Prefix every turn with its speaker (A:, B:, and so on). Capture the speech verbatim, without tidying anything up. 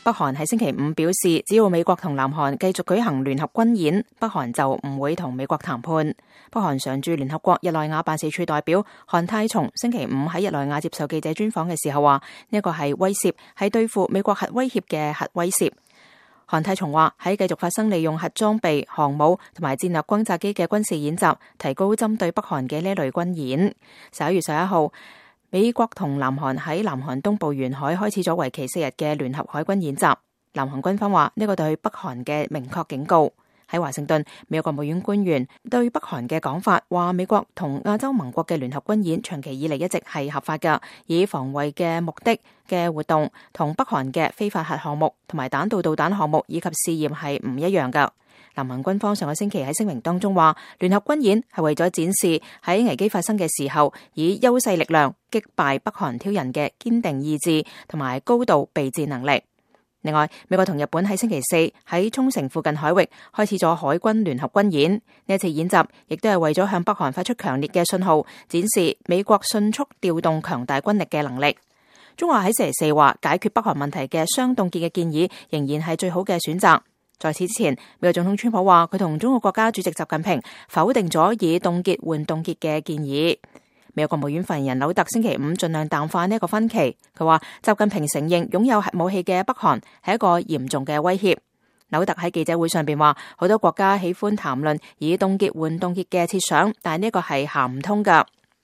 A: 北韓喺星期五表示，只要美國同南韓繼續舉行聯合軍演，北韓就唔會同美國談判。北韓常駐聯合國日內瓦辦事處代表韓泰松星期五喺日內瓦接受記者專訪嘅時候話，呢一個係威懾，係對付美國核威脅嘅核威懾。韓泰松話喺繼續發生利用核裝備、航母同埋戰略轟炸機嘅軍事演習，提高針對北韓嘅呢類軍演。十一月十一號，美國同南韓喺南韓東部沿海開始咗為期四日嘅聯合海軍演習。南韓軍方話呢個對北韓嘅明確警告。喺華盛頓，美國國務院官員對北韓嘅講法話，美國同亞洲盟國嘅聯合軍演長期以嚟一直係合法㗎，以防衛嘅目的嘅活動同北韓嘅非法核項目同埋彈道導彈項目以及試驗係唔一樣㗎。南韓軍方上個星期喺聲明當中話，聯合軍演係為咗展示喺危機發生嘅時候，以優勢力量擊敗北韓挑釁嘅堅定意志同埋高度備戰能力。另外，美國同日本喺星期四喺沖繩附近海域開始咗海軍聯合軍演。呢一次演習亦都係為咗向北韓發出強烈嘅信號，展示美國迅速調動強大軍力嘅能力。中華喺星期四話，解決北韓問題嘅雙凍結嘅建議仍然係最好嘅選擇。在此之前，美國總統川普話佢同中國國家主席習近平否定咗以凍結換凍結嘅建議。美國國務院發言人柳特星期五盡量淡化呢一個分歧，佢話習近平承認擁有核武器嘅北韓係一個嚴重嘅威脅。柳特喺記者會上邊話，好多國家喜歡談論以凍結換凍結嘅設想，但係呢個係行唔通㗎。